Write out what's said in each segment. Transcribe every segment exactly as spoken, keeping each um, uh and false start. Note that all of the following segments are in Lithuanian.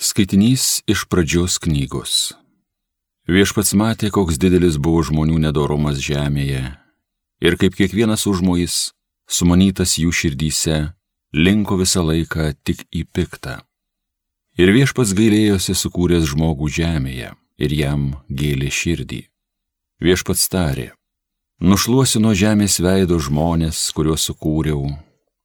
Skaitinys iš pradžios knygos. Viešpats matė, koks didelis buvo žmonių nedorumas žemėje, ir kaip kiekvienas užmojis, sumanytas jų širdyse, linko visą laiką tik į piktą. Ir viešpats gailėjosi sukūręs žmogų žemėje, ir jam gėlė širdį. Viešpats tarė: nušluosiu nuo žemės veido žmonės, kuriuos sukūriau,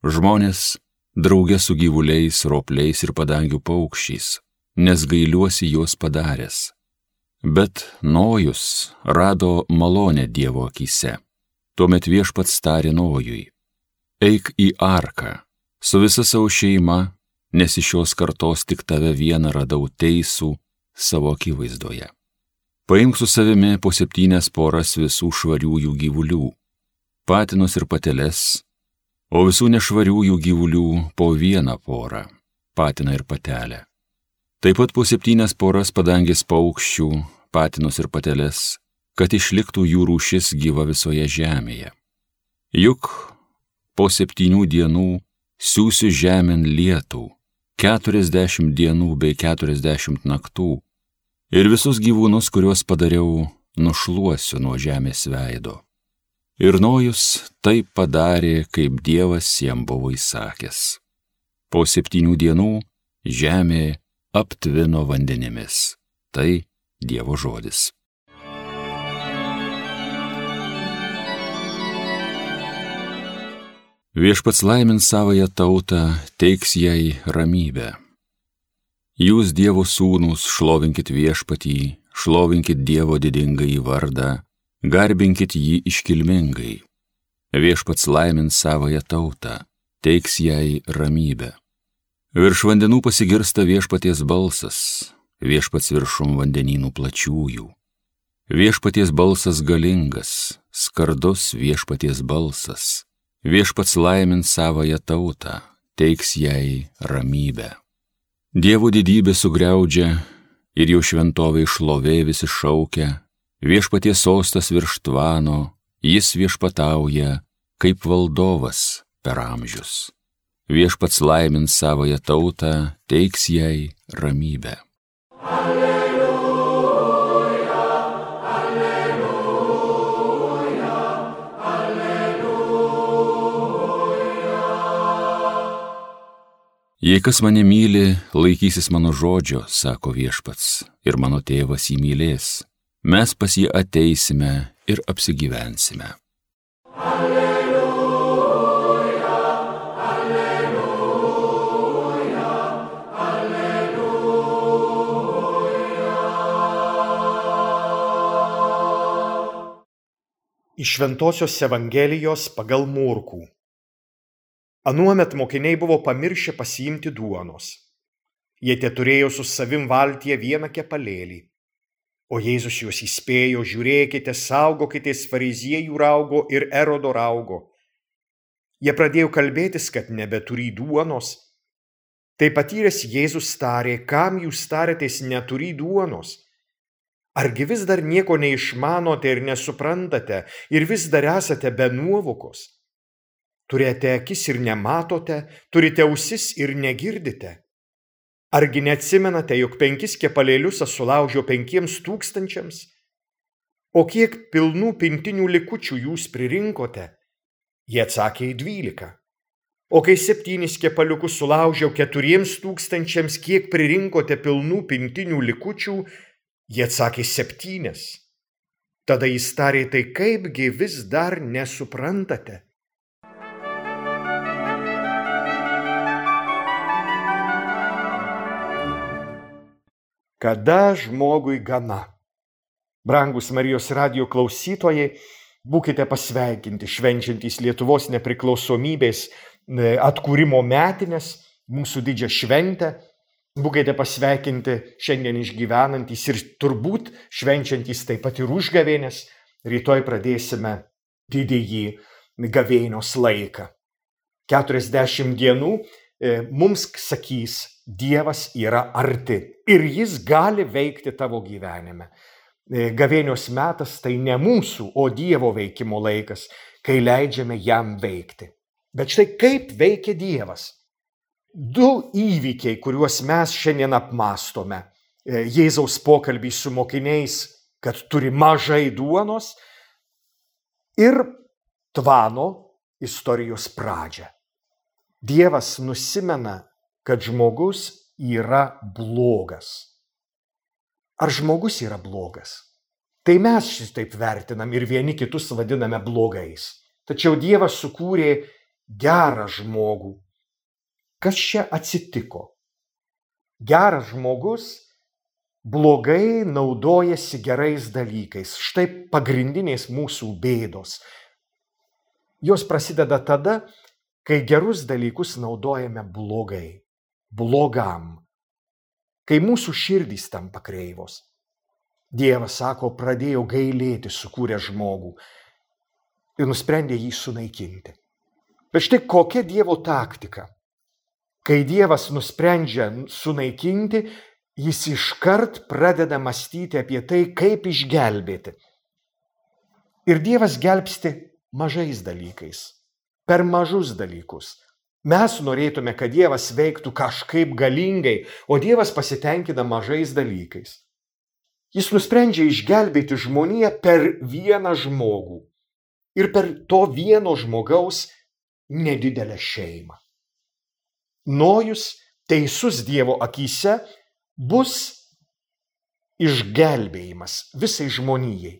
žmonės drauge su gyvuliais, ropliais ir padangių paukščiais, nes gailiuosi juos padaręs. Bet Nojus rado malonę Dievo akyse. Tuomet viešpats tarė Nojui: eik į arką su visa savo šeima, nes iš šios kartos tik tave vieną radau teisų savo akivaizdoje. Paimk su savimi po septynias poras visų švariųjų gyvulių, patinus ir pateles, o visų nešvariųjų gyvulių po vieną porą, patiną ir patelę. Taip pat po septynias poras padangės paukščių, patinus ir pateles, kad išliktų jų rūšis gyva visoje žemėje. Juk po septynių dienų siųsiu žemėn lietų, keturiasdešimt dienų bei keturiasdešimt naktų, ir visus gyvūnus, kuriuos padariau, nušluosiu nuo žemės veido. Ir Nojus taip padarė, kaip Dievas jam buvo įsakęs. Po septynių dienų žemė aptvino vandenimis. Tai Dievo žodis. Viešpats laimins savąją tautą, teiks jai ramybę. Jūs, Dievo sūnūs, šlovinkit viešpatį, šlovinkit Dievo didingąjį vardą, garbinkit jį iškilmingai. Viešpats laimins savąją tautą, teiks jai ramybę. Virš vandenų pasigirsta viešpaties balsas, viešpats viršum vandenynų plačiųjų. Viešpaties balsas galingas, skardus viešpaties balsas. Viešpats laimins savąją tautą, teiks jai ramybę. Dievo didybė sugriaudžia ir jo šventovė šlovė visi šaukia. Viešpaties sostas virš tvano, jis viešpatauja kaip valdovas per amžius. Viešpats laimins savąją tautą, teiks jai ramybę. Alleluja, alleluja, alleluja. Jei kas mane myli, laikysis mano žodžio, sako viešpats, ir mano tėvas jį mylės. Mes pas jį ateisime ir apsigyvensime. Alleluja, alleluja, alleluja. Iš Šventosios Evangelijos pagal Morkų. Anuomet mokiniai buvo pamiršę pasiimti duonos. Jie teturėjo su savim valtyje vieną kepalėlį. O Jėzus juos įspėjo: žiūrėkite, saugokitės fariziejų raugo ir Erodo raugo. Jie pradėjo kalbėtis, kad nebeturi duonos. Tai patyręs Jėzus tarė: kam jūs tarėtės neturi duonos? Argi vis dar nieko neišmanote ir nesuprantate, ir vis dar esate be nuovokos? Turite akis ir nematote, turite ausis ir negirdite. Argi neatsimenate, jog penkis kepalėlius aš sulaužiau penkiems tūkstančiams? O kiek pilnų pintinių likučių jūs pririnkote? Jie atsakė: į dvylika. O kai septynis kepaliukus sulaužiau keturiems tūkstančiams, kiek pririnkote pilnų pintinių likučių? Jie atsakė: septynias. Tada jis tarė: tai kaipgi vis dar nesuprantate? Kada žmogui gana? Brangus Marijos radijo klausytojai, būkite pasveikinti švenčiantys Lietuvos nepriklausomybės atkūrimo metines, mūsų didžią šventę. Būkite pasveikinti šiandien išgyvenantys ir turbūt švenčiantys taip pat ir užgavėnės. Rytoj pradėsime didįjį gavėnios laiką. keturiasdešimt dienų mums sakys: Dievas yra arti ir jis gali veikti tavo gyvenime. Gavėnios metas tai ne mūsų, o Dievo veikimo laikas, kai leidžiame jam veikti. Bet štai kaip veikia Dievas. Du įvykiai, kuriuos mes šiandien apmastome. Jėzaus pokalbį su mokiniais, kad turi mažai duonos, ir tvano istorijos pradžią. Dievas nusimena, kad žmogus yra blogas. Ar žmogus yra blogas? Tai mes šitaip vertinam ir vieni kitus vadiname blogais. Tačiau Dievas sukūrė gerą žmogų. Kas čia atsitiko? Geras žmogus blogai naudojasi gerais dalykais. Štai pagrindinės mūsų bėdos. Jos prasideda tada, kai gerus dalykus naudojame blogai, blogam, kai mūsų širdys tampa kreivos. Dievas sako, pradėjo gailėti sukūrę žmogų ir nusprendė jį sunaikinti. Bet štai kokia Dievo taktika? Kai Dievas nusprendžia sunaikinti, jis iškart pradeda mąstyti apie tai, kaip išgelbėti. Ir Dievas gelbsti mažais dalykais, per mažus dalykus. Mes norėtume, kad Dievas veiktų kažkaip galingai, o Dievas pasitenkina mažais dalykais. Jis nusprendžia išgelbėti žmoniją per vieną žmogų ir per to vieno žmogaus nedidelę šeimą. Nojus, teisus Dievo akyse, bus išgelbėjimas visai žmonijai.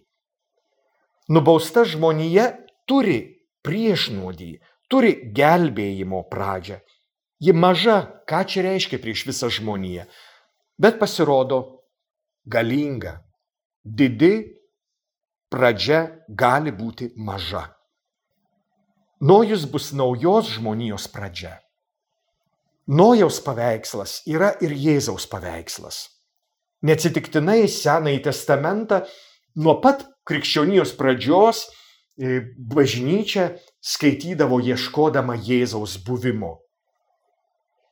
Nubausta žmonija turi priešnuodį, turi gelbėjimo pradžią. Ji maža, ką čia reiškia prieš visą žmoniją, bet pasirodo galinga. Didi pradžia gali būti maža. Nojus bus naujos žmonijos pradžia. Nojaus paveikslas yra ir Jėzaus paveikslas. Neatsitiktinai Senąjį testamentą nuo pat krikščionijos pradžios bažnyčia skaitydavo ieškodama Jėzaus buvimo.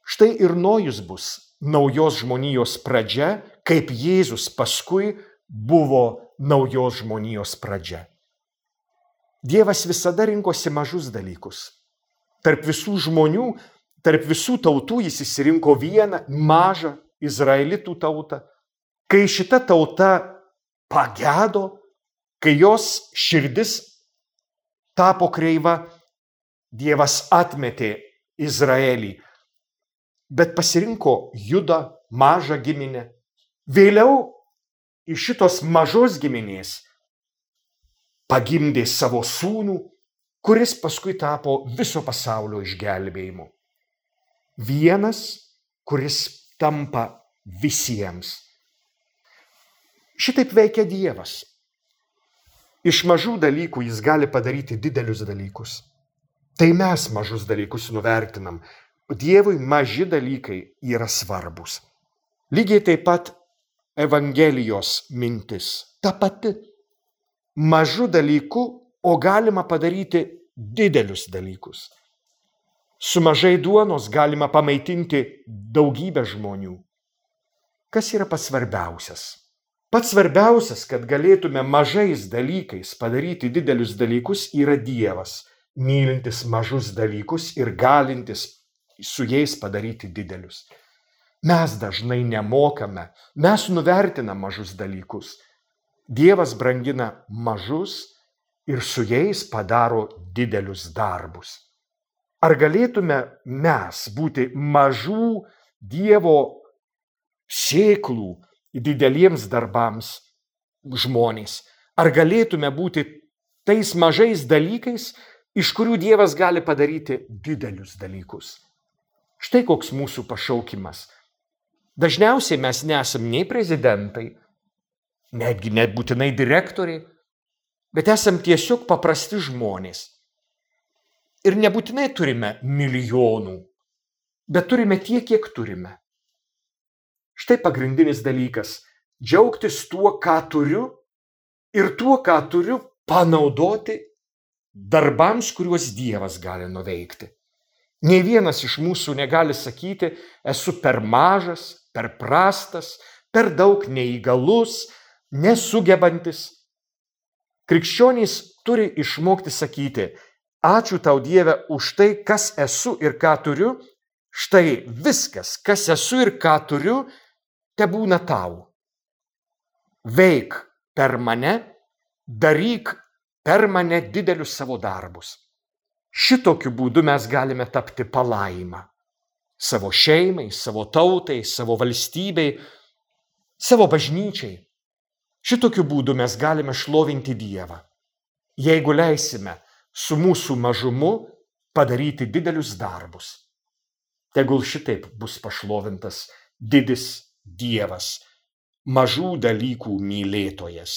Štai ir Nojus bus naujos žmonijos pradžia, kaip Jėzus paskui buvo naujos žmonijos pradžia. Dievas visada rinkosi mažus dalykus. Tarp visų žmonių, tarp visų tautų jis išsirinko vieną mažą izraelitų tautą. Kai šita tauta pagedo, kai jos širdis tapo kreiva, Dievas atmetė Izraelį, bet pasirinko Judą, mažą giminę. Vėliau iš šitos mažos giminės pagimdė savo sūnų, kuris paskui tapo viso pasaulio išgelbėjimu. Vienas, kuris tampa visiems. Šitaip veikia Dievas. Iš mažų dalykų jis gali padaryti didelius dalykus. Tai mes mažus dalykus nuvertinam. Dievui maži dalykai yra svarbus. Lygiai taip pat Evangelijos mintis. Ta pati. Mažų dalykų, o galima padaryti didelius dalykus. Su mažai duonos galima pamaitinti daugybę žmonių. Kas yra pats svarbiausias? Pats svarbiausias, kad galėtume mažais dalykais padaryti didelius dalykus, yra Dievas, mylintis mažus dalykus ir galintis su jais padaryti didelius. Mes dažnai nemokame, mes nuvertinam mažus dalykus. Dievas brangina mažus ir su jais padaro didelius darbus. Ar galėtume mes būti mažų Dievo sėklų dideliems darbams žmonės? Ar galėtume būti tais mažais dalykais, iš kurių Dievas gali padaryti didelius dalykus? Štai koks mūsų pašaukimas. Dažniausiai mes nesam nei prezidentai, netgi nebūtinai direktoriai, bet esam tiesiog paprasti žmonės. Ir nebūtinai turime milijonų, bet turime tiek, kiek turime. Štai pagrindinis dalykas – džiaugtis tuo, ką turiu ir tuo, ką turiu panaudoti darbams, kuriuos Dievas gali nuveikti. Nei vienas iš mūsų negali sakyti, esu per mažas, per prastas, per daug neįgalus, nesugebantis. Krikščionys turi išmokti sakyti, ačiū tau Dieve už tai, kas esu ir ką turiu, Štai viskas, kas esu ir ką turiu, tebūna tau. Veik per mane, daryk per mane didelius savo darbus. Šitokiu būdu mes galime tapti palaima. Savo šeimai, savo tautai, savo valstybei, savo bažnyčiai. Šitokiu būdu mes galime šlovinti Dievą. Jeigu leisime su mūsų mažumu padaryti didelius darbus. Tegul šitaip bus pašlovintas didis Dievas, mažų dalykų mylėtojas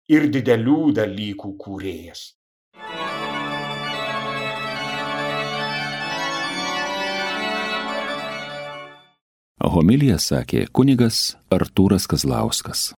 ir didelių dalykų kūrėjas. Homiliją sakė kunigas Artūras Kazlauskas.